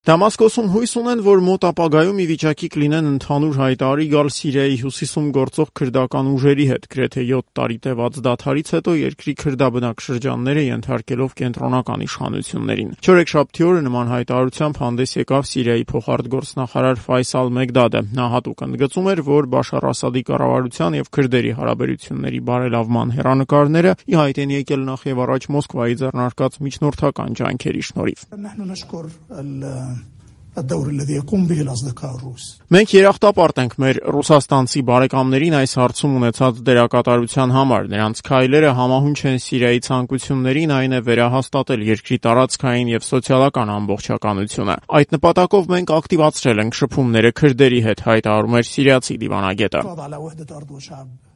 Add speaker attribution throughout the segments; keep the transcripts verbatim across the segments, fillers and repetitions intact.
Speaker 1: Դամասկոսում հույս ունեն, որ մոտ ապագայում ի վիճակի կլինեն ընդհանուր հայտարարի գալ Սիրիայի հյուսիսում գործող քրդական ուժերի հետ, գրեթե յոթ տարի տևած դադարից հետո երկրի քրդաբնակ շրջանները ենթարկելով կենտրոնական իշխանություններին։ Չորեքշաբթի օրը նման հայտարարությամբ հանդես եկավ Սիրիայի փոխարտգործնախարար Ֆայսալ Մեգդադը։ Նա հատուկ ընդգծում էր, որ Բաշար Ասադի կառավարության եւ քրդերի հարաբերությունների բարելավման հեռանկարները ի հայտ են եկել նախ եւ առաջ Մոսկվայի ձեռնարկած միջնորդական ջանքերի շնորհիվ։ Մենք երախտապարտ ենք մեր ռուսաստանցի բարեկամներին այս հարցում ունեցած դերակատարության համար։ Նրանց քայլերը համահունչ են Սիրիայի ցանկություններին, այն է վերահաստատել երկրի տարածքային եւ սոցիալական ամբողջականությունը։ Այդ նպատակով մենք ակտիվացրել ենք շփումները քրդերի հետ, հայտարարում էր սիրիացի դիվանագետը։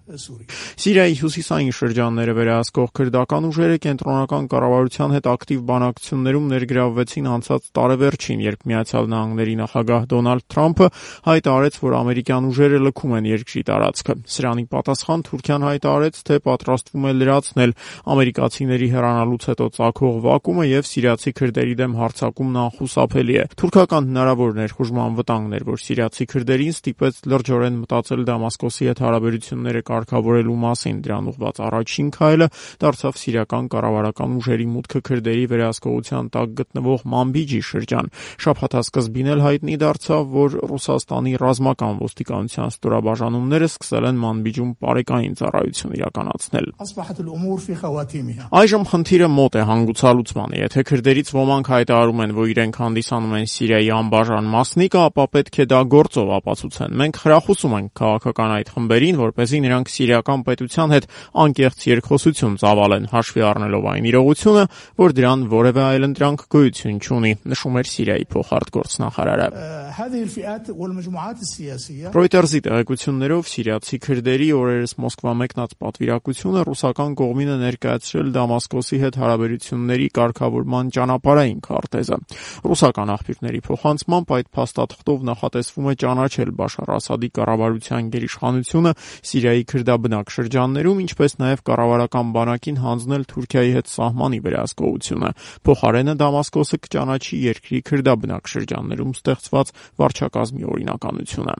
Speaker 1: Սիրիայի հյուսիսային շրջանները վերահսկող քրդական ուժերը կենտրոնական կառավարության հետ ակտիվ բանակցություններում ներգրավվեցին անցած տարեվերջին, երբ Միացյալ Նահանգների նախագահ Դոնալդ Թրամփը հայտարարեց, որ ամերիկյան ուժերը լքում են երկրի տարածքը։ Սրանի պատասխան Թուրքիան հայտարարեց, թե պատրաստվում է լրացնել ամերիկացիների հեռանալուց հետո ծագող վակումը եւ սիրիացի քրդերի դեմ հարձակումն անխուսափելի է։ Թուրքական հնարավոր ներխուժման վտանգն էր, որ սիրիացի քրդերին ստիպեց լրջորեն մտածել Դամասկոսի հետ հարաբերությունները կարգավորելու մասին։ Դրան ուղղված առաջին քայլը դարձավ սիրիական կառավարական ուժերի մուտքը քրդերի վերահսկողության տակ գտնվող Մանբիջի շրջան։ Շաբաթասկզբին էլ հայտնի դարձավ, որ Ռուսաստանի ռազմական ոստիկանության ստորաբաժանումները սկսել են Մանբիջում պարեկային ծառայություն իրականացնել։ Այժմ խնդիրը մոտ է հանգուցալուծմանը։ Եթե քրդերից ոմանք հայտարարում են, որ իրենք հանդիսանում են Սիրիայի անբաժան մասնիկը, ապա պետք է դա գործով ապացուցեն։ Մենք խրախուսում ենք քաղաքական այդ խմբերին, որպեսզի նրանք սիրիական պետության հետ անկեղծ երկխոսություն ծավալեն, հաշվի առնելով այն իրողությունը, որ դրան որևէ այլընտրանք գոյություն չունի, նշում էր Սիրիայի փոխարտգործնախարարը։ Ռոյտերզի տեղեկություններով սիրիացի քրդերի օրերս Մոսկվա մեկնած պատվիրակությունը ռուսական կողմինը ներկայացրել Դամասկոսի հետ հարաբերությունների կարգավորման ճանապարհային քարտեզը։ Ռուսական աղբյուրների փոխանցմամբ այդ փաստաթղթով նախատեսվում է ճանաչել Բաշար Ասադի կառավարության գերիշխանությունը Սիրիայի քրդաբնակ շրջաններում, ինչպես նաև կառավարական բանակին հանձնել Թուրքիայի հետ սահմանի վերահսկողությունը։ Փոխարենը Դամասկոսը կճանաչի երկրի քրդաբնակ շրջաններում ստեղծված վարչակազմի օրինականությունը։